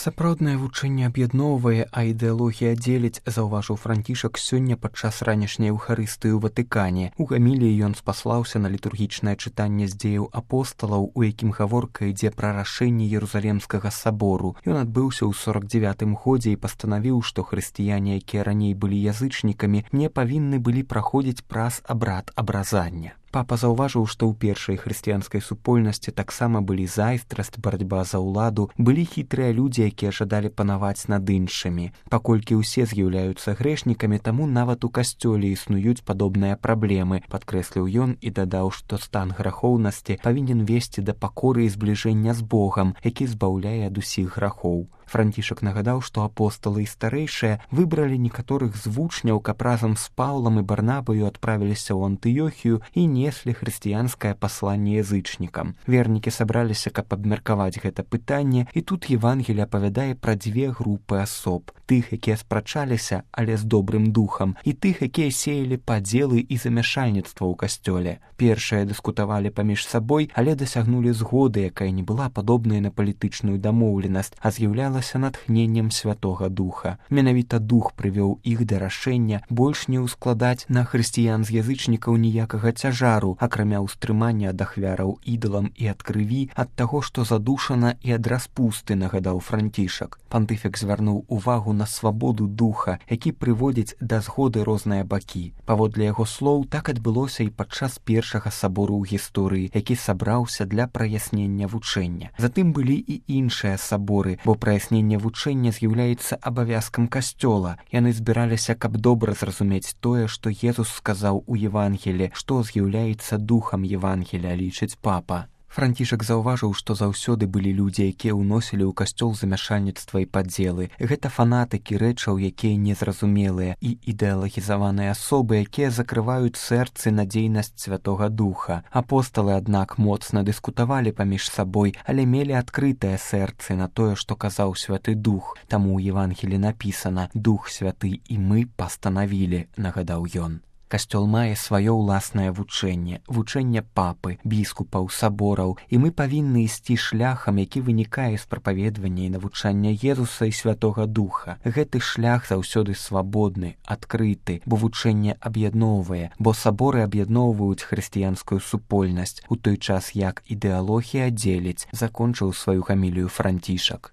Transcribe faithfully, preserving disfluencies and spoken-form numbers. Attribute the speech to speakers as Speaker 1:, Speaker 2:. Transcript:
Speaker 1: Сапраўднае вучэнне аб'ядноўвае, а ідэалогія дзеліць, заўважыў Францішак сёння падчас ранішняй эўхарыстыі ў Ватыкане. У гаміліі ён спаслаўся на літургічнае чытанне з дзеяў апосталаў, у якім гаворка ідзе пра рашэнне Ерусалемскага сабору. Ён адбыўся ў сорак дзявятым годзе і пастанавіў, што хрысціяне, якія раней былі язычнікамі, не павінны былі праходзіць праз абрад абразання. Папа заўважыў, што ў першай хрысціянскай супольнасці таксама былі зайздрасць, барацьба за ўладу, былі хітрыя людзі, якія жадалі панаваць над іншымі. Паколькі ўсе з'яўляюцца грэшнікамі, таму нават у касцёле існуюць падобныя праблемы, падкрэсліў ён і дадаў, што стан грахоўнасці павінен весці да пакоры і збліжэння з Богам, які збаўляе ад усіх грахоў. Францішак нагадаў, што апосталы і старэйшыя выбралі некаторых з вучняў, каб разам з Паўлам і Барнабаю адправіліся ў Антыёхію і неслі хрысціянскае пасланне язычнікам. Вернікі сабраліся, каб абмеркаваць гэта пытанне, і тут Евангелие апавядае пра дзве групы асоб: тых, якія спрачаліся, але з добрым духам, і тых, якія сеялі падзелы і замяшальніцтва ў касцёле. Першыя дыскутавалі паміж сабой, але дасягнулі згоды, якая не была падобная на палітычную дамоўленасць, а з'яўлялася натхненнем Святога Духа. Менавіта Дух прывёў іх да рашэння больш не ўскладаць на хрысціян з язычнікаў ніякага цяжару, акрамя ўстрымання ад ахвяраў ідалам і ад крыві, ад таго, што задушана, і ад распусты, нагадаў Францішак. Пантыфік звярнуў увагу на свабоду духа, які прыводзіць да згоды розныя бакі. Паводле яго слоў, так адбылося і падчас першага сабору ў гісторыі, які сабраўся для праяснення вучэння. Затым былі і іншыя саборы, бо праяснення вучэння з'яўляецца абавязкам касцёла. Яны збіраліся, каб добра зразумець тое, што Езус сказаў у Евангелі, што з'яўляецца духам Евангелія, лічыць папа. Францішак заўважыў, што заўсёды былі людзі, якія ўносілі ў касцёл замяшальніцтва і падзелы. Гэта фанатыкі рэчаў, якія незразумелыя, і ідэалагізаваныя асобы, якія закрываюць сэрцы на дзейнасць Святога Духа. Апосталы, аднак, моцна дыскутавалі паміж сабой, але мелі адкрытыя сэрцы на тое, што казаў Святы Дух. Таму ў Евангелі напісана: «Дух Святы і мы пастанавілі», нагадаў ён. Касцёл мае сваё ўласнае вучэнне, вучэнне папы, біскупаў, сабораў, і мы павінны ісці шляхам, які вынікае з прапаведвання і навучання Езуса і Святога Духа. Гэты шлях заўсёды свабодны, адкрыты, бо вучэнне аб'ядноўвае, бо саборы аб'ядноўваюць хрысціянскую супольнасць, у той час як ідэалогія дзеліць, закончыў сваю гамілію Францішак.